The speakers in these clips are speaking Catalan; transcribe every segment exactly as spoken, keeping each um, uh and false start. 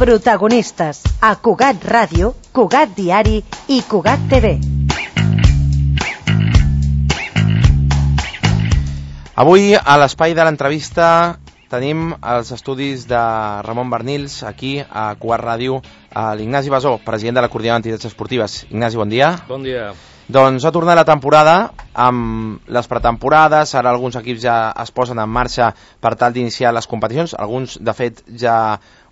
Protagonistes a Cugat Ràdio, Cugat Diari i Cugat T V. Avui, a l'espai de l'entrevista, tenim els estudis de Ramon Barnils, aquí a Cugat Ràdio, a l'Ignasi Basó, president de la Coordinadora d'Entitats Esportives. Ignasi, bon dia. Bon dia. Doncs ha tornat la temporada amb les pretemporades, ara alguns equips ja es posen en marxa per tal d'iniciar les competicions, alguns de fet ja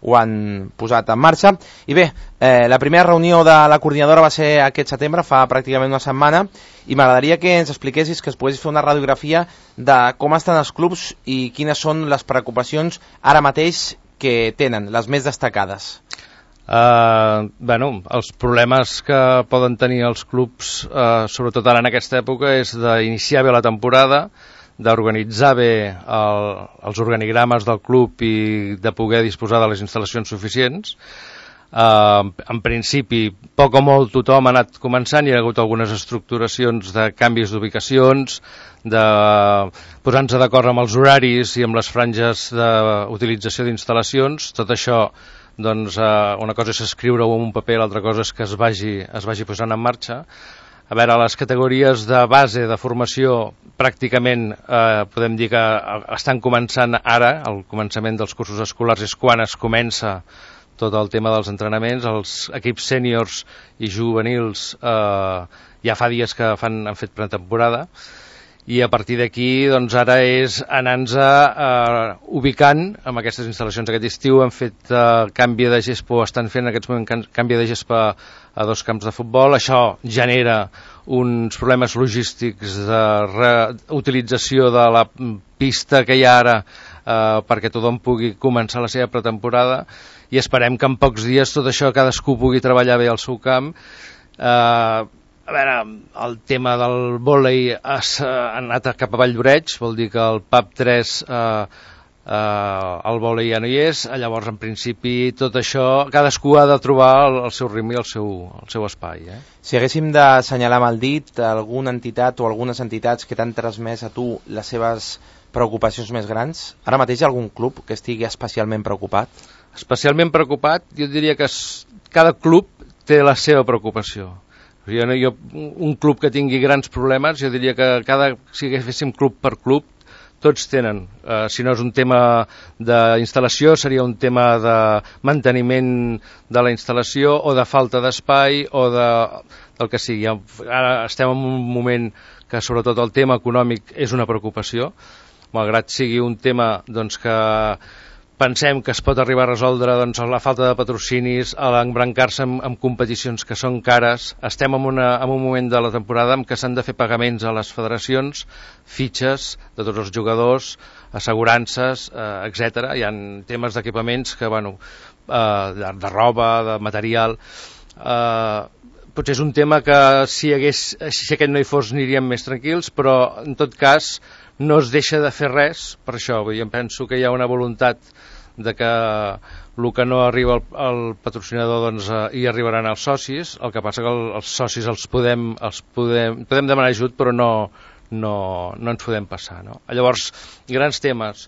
ho han posat en marxa. I bé, eh, la primera reunió de la coordinadora va ser aquest setembre, fa pràcticament una setmana, i m'agradaria que ens expliquessis, que es poguessis fer una radiografia de com estan els clubs i quines són les preocupacions ara mateix que tenen, les més destacades. Uh, bueno, els problemes que poden tenir els clubs, uh, sobretot ara en aquesta època, és d'iniciar bé la temporada, d'organitzar bé el, els organigrames del club i de poder disposar de les instal·lacions suficients. Uh, en principi, poc o molt tothom ha anat començant, hi ha hagut algunes estructuracions de canvis d'ubicacions, de posar-nos d'acord amb els horaris i amb les franges d'utilització d'instal·lacions. Tot això, doncs, uh, una cosa és escriure-ho en un paper, l'altra cosa és que es vagi, es vagi posant en marxa. A veure, les categories de base de formació pràcticament eh, podem dir que estan començant ara, el començament dels cursos escolars és quan es comença tot el tema dels entrenaments. Els equips sèniors i juvenils eh, ja fa dies que fan, han fet pretemporada, i a partir d'aquí doncs ara és anar-nos eh, ubicant amb aquestes instal·lacions. Aquest estiu hem fet eh, canvi de gespa, o estan fent en aquests moments canvi de gespa a dos camps de futbol. Això genera uns problemes logístics de reutilització de la pista que hi ha ara eh, perquè tothom pugui començar la seva pretemporada, i esperem que en pocs dies tot això cadascú pugui treballar bé al seu camp. Eh, A veure, el tema del vòlei ha anat cap a Valldoreix, vol dir que el P A P tres eh, eh, el vòlei ja no hi és. Llavors, en principi, tot això, cadascú ha de trobar el, el seu ritme i el seu, el seu espai. Eh? Si haguéssim d'assenyalar amb el dit alguna entitat o algunes entitats que t'han transmès a tu les seves preocupacions més grans, ara mateix hi ha algun club que estigui especialment preocupat? Especialment preocupat, jo diria que cada club té la seva preocupació. Jo, jo, un club que tingui grans problemes, jo diria que cada, si féssim club per club, tots tenen. Uh, si no és un tema d'instal·lació, seria un tema de manteniment de la instal·lació o de falta d'espai o de, del que sigui. Ara estem en un moment que sobretot el tema econòmic és una preocupació, malgrat sigui un tema doncs, que pensem que es pot arribar a resoldre doncs, la falta de patrocinis, a l'embrancar-se amb, amb competicions que són cares. Estem en, una, en un moment de la temporada en què s'han de fer pagaments a les federacions, fitxes de tots els jugadors, assegurances, eh, etcètera. Hi ha temes d'equipaments que, bueno, eh, de, de roba, de material. Eh, potser és un tema que si, hagués, si aquest no hi fos aniríem més tranquils, però en tot cas no es deixa de fer res per això. Jo penso que hi ha una voluntat de que el que no arriba al, al patrocinador doncs, eh, hi arribaran els socis. El que passa que el, els socis els podem, els podem, podem demanar ajut, però no, no, no ens podem passar. No? Llavors, grans temes.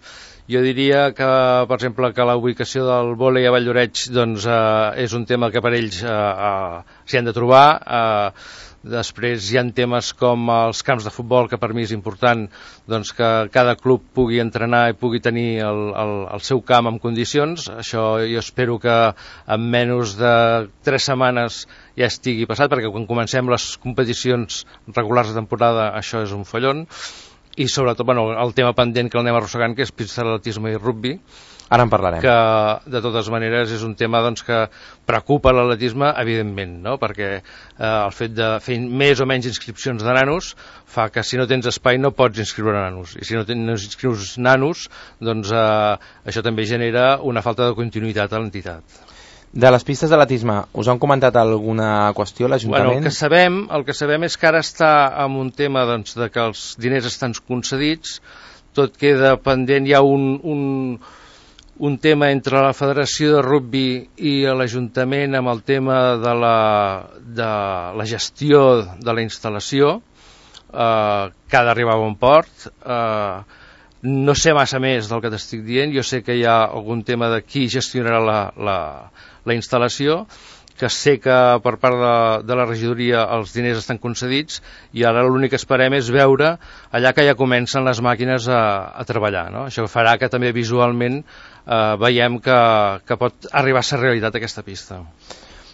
Jo diria que, per exemple, que la ubicació del vòlei a Valldoreix doncs, eh, és un tema que per ells eh, eh, s'hi han de trobar. Eh, Després hi ha temes com els camps de futbol, que per mi és important doncs, que cada club pugui entrenar i pugui tenir el, el, el seu camp en condicions. Això jo espero que en menys de tres setmanes ja estigui passat, perquè quan comencem les competicions regulars de temporada això és un follon. I sobretot bueno, el tema pendent que l'anem arrossegant, que és pista d'atletisme i rugbi. Ara en parlarem. Que, de totes maneres, és un tema doncs, que preocupa l'atletisme, evidentment, no? Perquè eh, el fet de fer més o menys inscripcions de nanos fa que si no tens espai no pots inscriure nanos. I si no tens inscrius nanos, doncs eh, això també genera una falta de continuïtat a l'entitat. De les pistes d'atletisme, us han comentat alguna qüestió a l'Ajuntament? Bueno, el que sabem, el que sabem és que ara està amb un tema doncs, de que els diners estan concedits, tot queda pendent, hi ha un... un un tema entre la Federació de Rugbi i l'Ajuntament amb el tema de la, de la gestió de la instal·lació, eh, que ha d'arribar a bon port. Eh, No sé massa més del que t'estic dient, jo sé que hi ha algun tema de qui gestionarà la, la, la instal·lació, que sé que per part de, de la regidoria els diners estan concedits i ara l'únic que esperem és veure allà que ja comencen les màquines a, a treballar, no? Això farà que també visualment eh, veiem que, que pot arribar a ser realitat aquesta pista.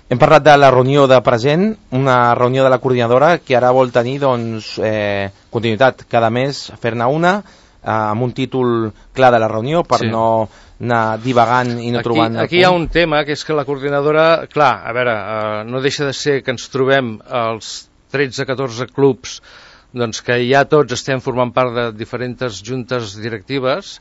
Hem parlat de la reunió de present, una reunió de la coordinadora que ara vol tenir doncs, eh, continuïtat cada mes, fer-ne una, amb un títol clar de la reunió per sí. no anar divagant i no aquí, trobant... Aquí hi ha un tema, que és que la coordinadora, clar, a veure, eh, no deixa de ser que ens trobem als tretze catorze clubs, doncs que ja tots estem formant part de diferents juntes directives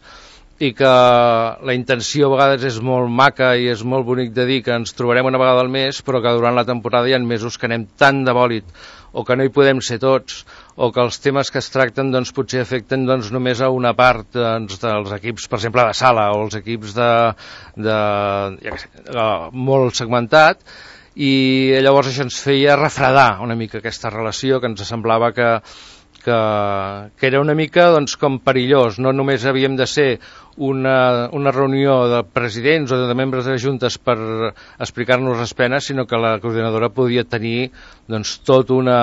i que la intenció a vegades és molt maca i és molt bonic de dir que ens trobarem una vegada al mes, però que durant la temporada hi ha mesos que anem tan de bòlit o que no hi podem ser tots, o que els temes que es tracten doncs, potser afecten doncs, només a una part doncs, dels equips, per exemple, de sala, o els equips de, de, ja que sé, molt segmentat, i llavors això ens feia refredar una mica aquesta relació, que ens semblava que, que, que era una mica doncs, com perillós. No només havíem de ser una, una reunió de presidents o de membres de juntes per explicar-nos les penes, sinó que la coordinadora podia tenir doncs, tot una...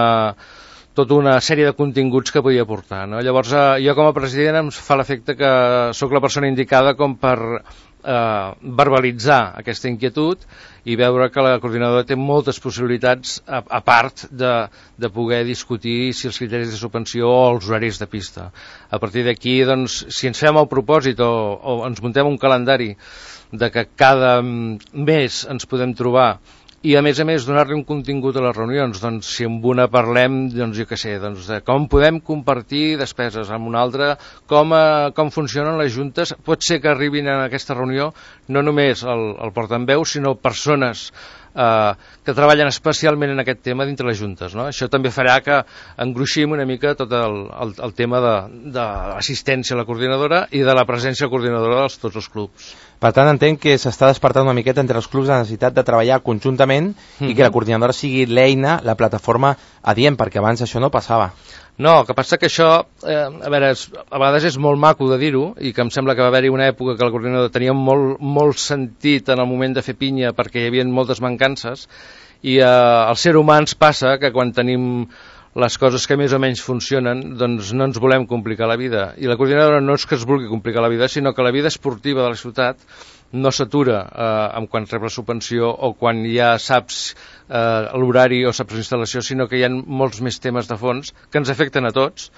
tota una sèrie de continguts que podia portar, no? Llavors, eh, jo com a president em fa l'efecte que sóc la persona indicada com per eh, verbalitzar aquesta inquietud i veure que la coordinadora té moltes possibilitats, a, a part de, de poder discutir si els criteris de subvenció o els horaris de pista. A partir d'aquí, doncs, si ens fem el propòsit o, o ens muntem un calendari de que cada mes ens podem trobar i a més a més donar-li un contingut a les reunions, doncs si amb una parlem, doncs jo què sé, doncs de com podem compartir despeses, amb una altra com, eh, com funcionen les juntes, pot ser que arribin a aquesta reunió no només el, el portaveu, sinó persones eh, que treballen especialment en aquest tema dintre les juntes, no? Això també farà que engruixim una mica tot el, el, el tema de, de l'assistència a la coordinadora i de la presència coordinadora de tots els clubs. Per tant, entenc que s'està despertant una miqueta entre els clubs la necessitat de treballar conjuntament mm-hmm. i que la coordinadora sigui l'eina, la plataforma adient, perquè abans això no passava. No, el que passa que això, eh, a veure, és, a vegades és molt maco de dir-ho, i que em sembla que va haver-hi una època que la coordinadora tenia molt, molt sentit en el moment de fer pinya perquè hi havia moltes mancances, i eh, al ser humà ens passa que quan tenim les coses que més o menys funcionen, doncs no ens volem complicar la vida. I la coordinadora no és que es vulgui complicar la vida, sinó que la vida esportiva de la ciutat no s'atura eh, en quan rep la subvenció o quan ja saps eh, l'horari o saps l'instal·lació, sinó que hi ha molts més temes de fons que ens afecten a tots,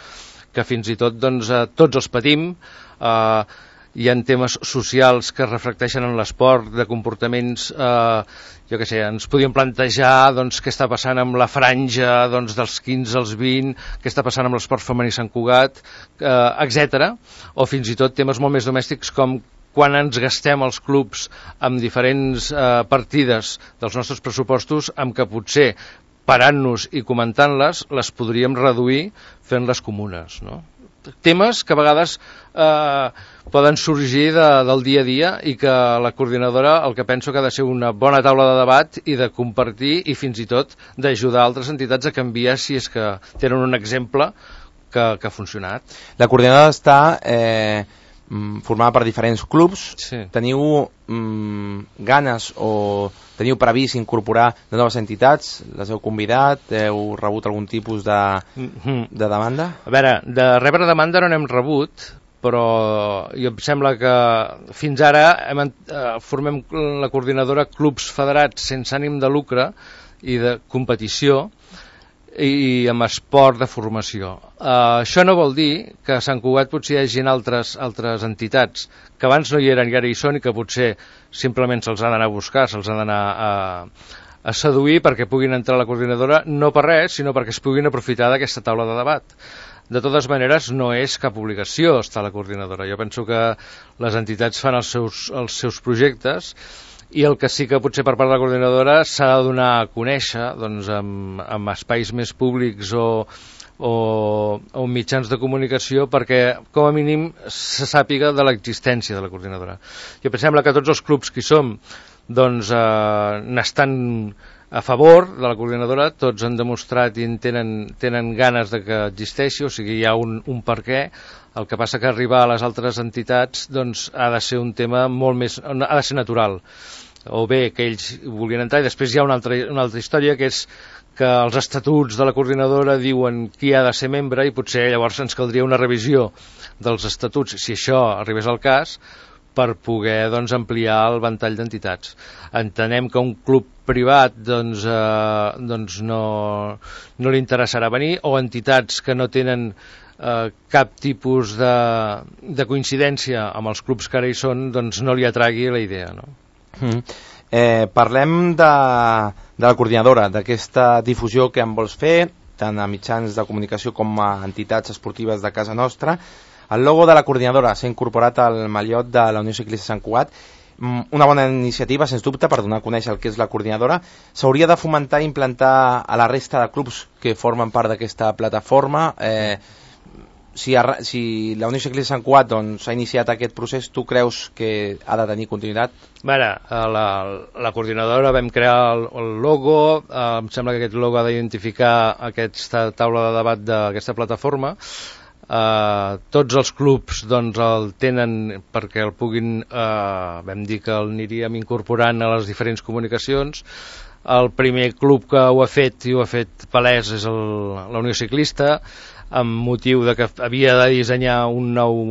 que fins i tot doncs, eh, tots els patim, eh, hi ha temes socials que es reflecteixen en l'esport, de comportaments, eh, jo què sé, ens podíem plantejar doncs, què està passant amb la franja doncs, dels quinze als vint, què està passant amb l'esport femení Sant Cugat, eh, etcètera, o fins i tot temes molt més domèstics com quan ens gastem els clubs amb diferents eh, partides dels nostres pressupostos, amb que potser parant-nos i comentant-les, les podríem reduir fent-les comunes, no? Temes que a vegades eh, poden sorgir de, del dia a dia i que la coordinadora el que penso que ha de ser una bona taula de debat i de compartir i fins i tot d'ajudar altres entitats a canviar si és que tenen un exemple que, que ha funcionat. La coordinadora està eh, formada per diferents clubs. Sí. Teniu mm, ganes o teniu previst incorporar de noves entitats? Les heu convidat? Heu rebut algun tipus de, mm-hmm. de demanda? A veure, de rebre demanda no n'hem rebut, però jo em sembla que fins ara hem, eh, formem la coordinadora clubs federats sense ànim de lucre i de competició i amb esport de formació. Uh, això no vol dir que a Sant Cugat potser hi hagi altres, altres entitats que abans no hi eren i ara hi són i que potser simplement se'ls ha d'anar a buscar, se'ls ha d'anar a, a seduir perquè puguin entrar a la coordinadora, no per res, sinó perquè es puguin aprofitar d'aquesta taula de debat. De totes maneres, no és cap obligació estar a la coordinadora. Jo penso que les entitats fan els seus, els seus projectes i el que sí que potser per part de la coordinadora s'ha de donar a conèixer doncs, amb, amb espais més públics o, o, o mitjans de comunicació perquè com a mínim se sàpiga de l'existència de la coordinadora. Jo em sembla que tots els clubs que hi som doncs, eh, n'estan a favor de la coordinadora, tots han demostrat i tenen, tenen ganes de que existeixi, o sigui, hi ha un, un per què. El que passa que arribar a les altres entitats doncs, ha de ser un tema molt més, ha de ser natural, o bé que ells vulguin entrar, i després hi ha una altra, una altra història, que és que els estatuts de la coordinadora diuen qui ha de ser membre, i potser llavors ens caldria una revisió dels estatuts, si això arribés al cas, per poder doncs, ampliar el ventall d'entitats. Entenem que un club privat doncs, eh, doncs no, no li interessarà venir, o entitats que no tenen eh, cap tipus de, de coincidència amb els clubs que ara hi són, doncs no li atragui la idea. No? Mm. Eh, parlem de, de la coordinadora, d'aquesta difusió que en vols fer, tant a mitjans de comunicació com a entitats esportives de casa nostra. El logo de la coordinadora s'ha incorporat al mallot de la Unió Ciclista Sant Cugat, una bona iniciativa, sens dubte, per donar a conèixer el que és la coordinadora. S'hauria de fomentar i implantar a la resta de clubs que formen part d'aquesta plataforma. Eh, si, a, si la Unió Ciclista Sant Cugat doncs, ha iniciat aquest procés, tu creus que ha de tenir continuïtat? Bé, la, la coordinadora vam crear el, el logo, eh, em sembla que aquest logo ha d'identificar aquesta taula de debat d'aquesta plataforma. Uh, tots els clubs doncs, el tenen perquè el puguin, uh, vam dir que el aniríem incorporant a les diferents comunicacions. El primer club que ho ha fet i ho ha fet palès és el, la Unió Ciclista, amb motiu de que havia de dissenyar un nou,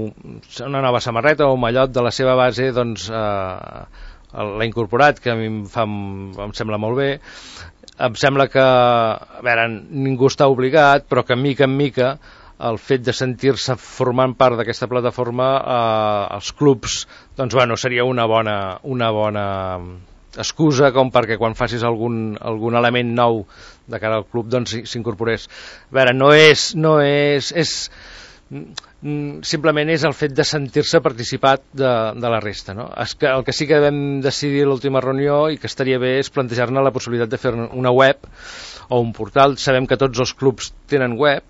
una nova samarreta o un mallot de la seva base, doncs uh, l'ha incorporat, que a mi em, fa, em sembla molt bé. Em sembla que, a veure, ningú està obligat, però que mica en mica el fet de sentir-se formant part d'aquesta plataforma, eh, els clubs, doncs bueno, seria una bona, una bona excusa com perquè quan facis algun, algun element nou de cara al club doncs s'incorporés. A veure, no és, no és, és simplement és el fet de sentir-se participat de, de la resta, no? Que, el que sí que vam decidir a l'última reunió i que estaria bé és plantejar-ne la possibilitat de fer una web o un portal. Sabem que tots els clubs tenen web,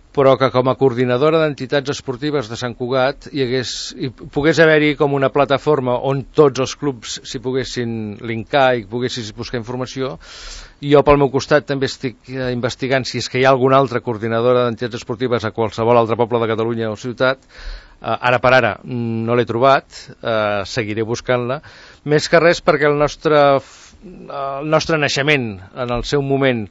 però que com a coordinadora d'entitats esportives de Sant Cugat hi, hagués, hi pogués haver-hi com una plataforma on tots els clubs s'hi poguessin linkar i poguessis buscar informació. I jo pel meu costat també estic investigant si és que hi ha alguna altra coordinadora d'entitats esportives a qualsevol altre poble de Catalunya o ciutat. Uh, ara per ara no l'he trobat, uh, seguiré buscant-la, més que res perquè el nostre, el nostre naixement en el seu moment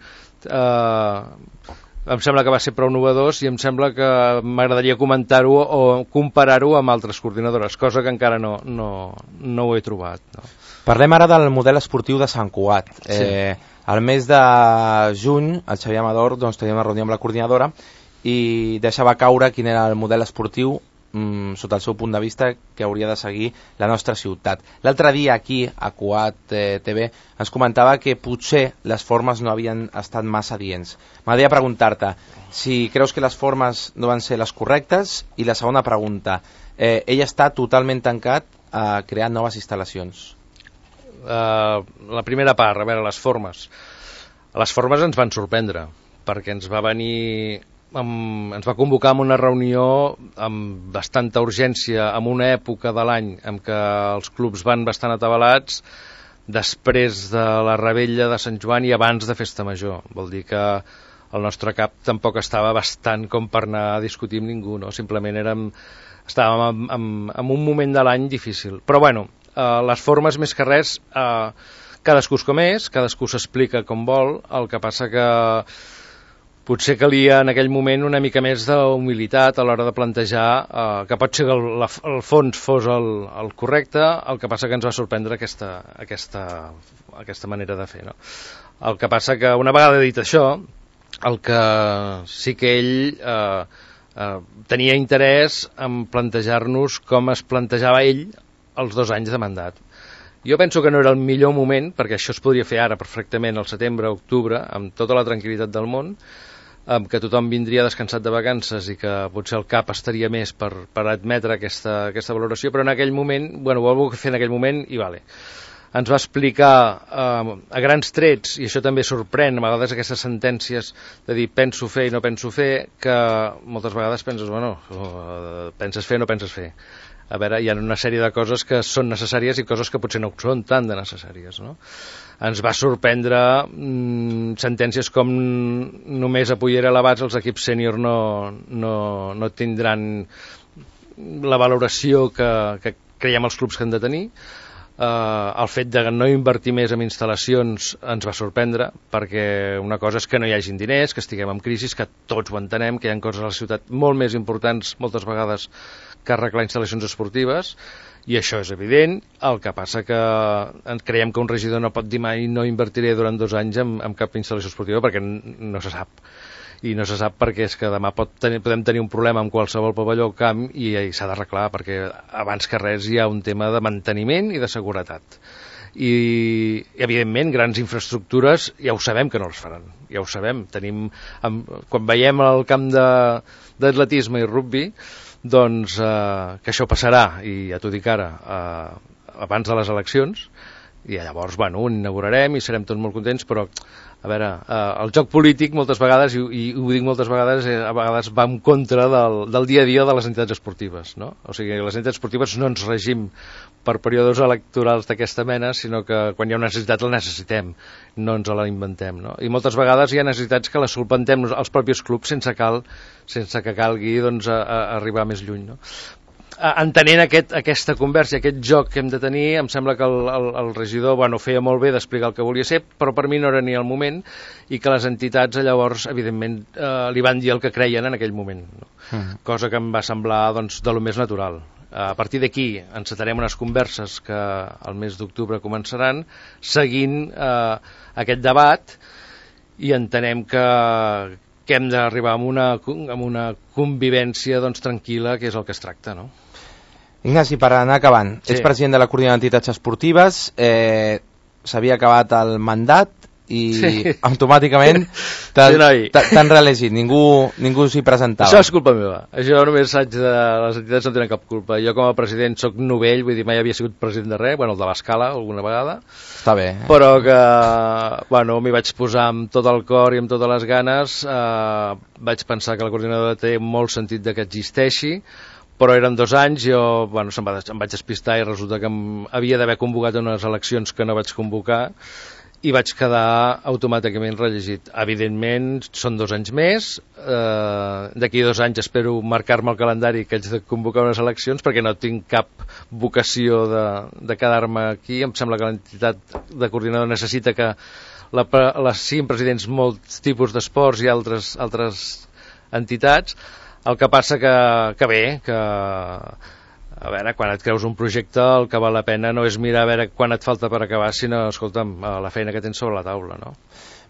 uh, em sembla que va ser prou novedós i em sembla que m'agradaria comentar-ho o comparar-ho amb altres coordinadores, cosa que encara no, no, no ho he trobat. No. Parlem ara del model esportiu de Sant Cugat. Sí. Eh, al mes de juny, el Xavier Amador doncs, tenia una reunió amb la coordinadora i deixava caure quin era el model esportiu mm, sota el seu punt de vista que hauria de seguir la nostra ciutat. L'altre dia aquí a Cugat eh, T V ens comentava que potser les formes no havien estat massa adients. M'agradaria preguntar-te si creus que les formes no van ser les correctes, i la segona pregunta, eh, ell està totalment tancat a crear noves instal·lacions. Uh, la primera part, a veure, les formes. Les formes ens van sorprendre, perquè ens va venir... Amb, ens va convocar en una reunió amb bastanta urgència, en una època de l'any en què els clubs van bastant atabalats, després de la revetlla de Sant Joan i abans de Festa Major. Vol dir que el nostre cap tampoc estava bastant com per anar a discutir amb ningú, no? Simplement érem, estàvem en, en, en un moment de l'any difícil. Però bueno, eh, les formes més que res, eh, cadascú és com és, cadascú s'explica com vol, el que passa que potser calia en aquell moment una mica més d'humilitat a l'hora de plantejar eh, que pot ser que el, la, el fons fos el, el correcte, el que passa que ens va sorprendre aquesta, aquesta, aquesta manera de fer. No? El que passa que una vegada dit això, el que sí que ell eh, eh, tenia interès en plantejar-nos com es plantejava ell els dos anys de mandat. Jo penso que no era el millor moment, perquè això es podria fer ara perfectament al setembre, octubre, amb tota la tranquil·litat del món, que tothom vindria descansat de vacances i que potser el cap estaria més per, per admetre aquesta, aquesta valoració, però en aquell moment, bueno, ho vol fer en aquell moment i vale. Ens va explicar eh, a grans trets, i això també sorprèn a vegades aquestes sentències de dir penso fer i no penso fer, que moltes vegades penses, bueno, penses fer o no penses fer. a veure, hi ha una sèrie de coses que són necessàries i coses que potser no són tan de necessàries, no? Ens va sorprendre mmm, sentències com només a Pollera elevats els equips sènior no, no, no tindran la valoració que, que creiem els clubs que han de tenir. Uh, el fet de no invertir més en instal·lacions ens va sorprendre, perquè una cosa és que no hi hagin diners, que estiguem en crisi, que tots ho entenem, que hi ha coses a la ciutat molt més importants moltes vegades que arreglar instal·lacions esportives, i això és evident. El que passa que creiem que un regidor no pot dir mai no invertiré durant dos anys en, en cap instal·lació esportiva, perquè no se sap. I no se sap perquè és que demà pot tenir, podem tenir un problema amb qualsevol pavelló o camp i, i s'ha d'arreglar, perquè abans que res hi ha un tema de manteniment i de seguretat. I, evidentment, grans infraestructures ja ho sabem que no les faran, ja ho sabem. Tenim, amb, quan veiem el camp d'atletisme i rugby, doncs eh, que això passarà, i ja t'ho dic ara, eh, abans de les eleccions, i llavors, bueno, ho inaugurarem i serem tots molt contents, però a veure, eh, el joc polític moltes vegades, i, i ho dic moltes vegades, eh, a vegades va en contra del, del dia a dia de les entitats esportives, no? O sigui, les entitats esportives no ens regim per períodes electorals d'aquesta mena, sinó que quan hi ha una necessitat la necessitem, no ens la inventem, no? I moltes vegades hi ha necessitats que les solventem els propis clubs sense, cal, sense que calgui doncs, a, a arribar més lluny, no? Entenent aquest, aquesta conversa i aquest joc que hem de tenir, em sembla que el, el, el regidor bueno, feia molt bé d'explicar el que volia ser, però per mi no era ni el moment, i que les entitats llavors, evidentment, eh, li van dir el que creien en aquell moment, no? Mm. Cosa que em va semblar doncs, de lo més natural. A partir d'aquí encetarem unes converses que el mes d'octubre començaran, seguint eh, aquest debat, i entenem que que hem d'arribar a una, amb una convivència doncs, tranquil·la, que és el que es tracta, no? Ignasi, per anar acabant, sí. Ets president de la Coordinadora d'Entitats Esportives, eh, s'havia acabat el mandat i sí. automàticament t'han sí, reelegit, ningú, ningú s'hi presentava. Això és culpa meva, això només haig de... les entitats no tenen cap culpa. Jo com a president soc novell, vull dir, mai havia sigut president de res, bueno, el de l'Escala alguna vegada. Està bé. Eh? Però que, bueno, m'hi vaig posar amb tot el cor i amb totes les ganes, eh, vaig pensar que la coordinadora té molt sentit de que existeixi, però eren dos anys, jo bueno, em, va, em vaig despistar i resulta que em, havia d'haver convocat unes eleccions que no vaig convocar, i vaig quedar automàticament reelegit. Evidentment, són dos anys més, eh, d'aquí dos anys espero marcar-me el calendari que haig de convocar unes eleccions, perquè no tinc cap vocació de, de quedar-me aquí. Em sembla que l'entitat de coordinador necessita que la, les siguin presidents molts tipus d'esports i altres, altres entitats. El que passa que, que bé, que a veure, quan et creus un projecte el que val la pena no és mirar a veure quan et falta per acabar, sinó, escolta'm, la feina que tens sobre la taula, no?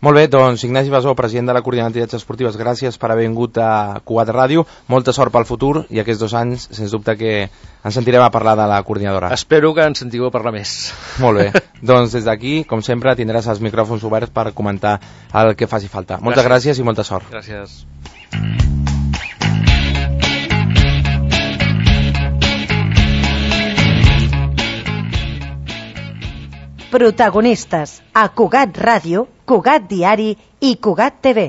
Molt bé, doncs Ignasi Basó, president de la Coordinadora d'Entitats Esportives, gràcies per haver vingut a Cugat Ràdio, molta sort pel futur i aquests dos anys, sens dubte que ens sentirem a parlar de la coordinadora. Espero que ens sentiu a parlar més. Molt bé, doncs des d'aquí, com sempre, tindràs els micròfons oberts per comentar el que faci falta. Moltes gràcies, gràcies i molta sort. Gràcies. Protagonistes a Cugat Ràdio, Cugat Diari i Cugat T V.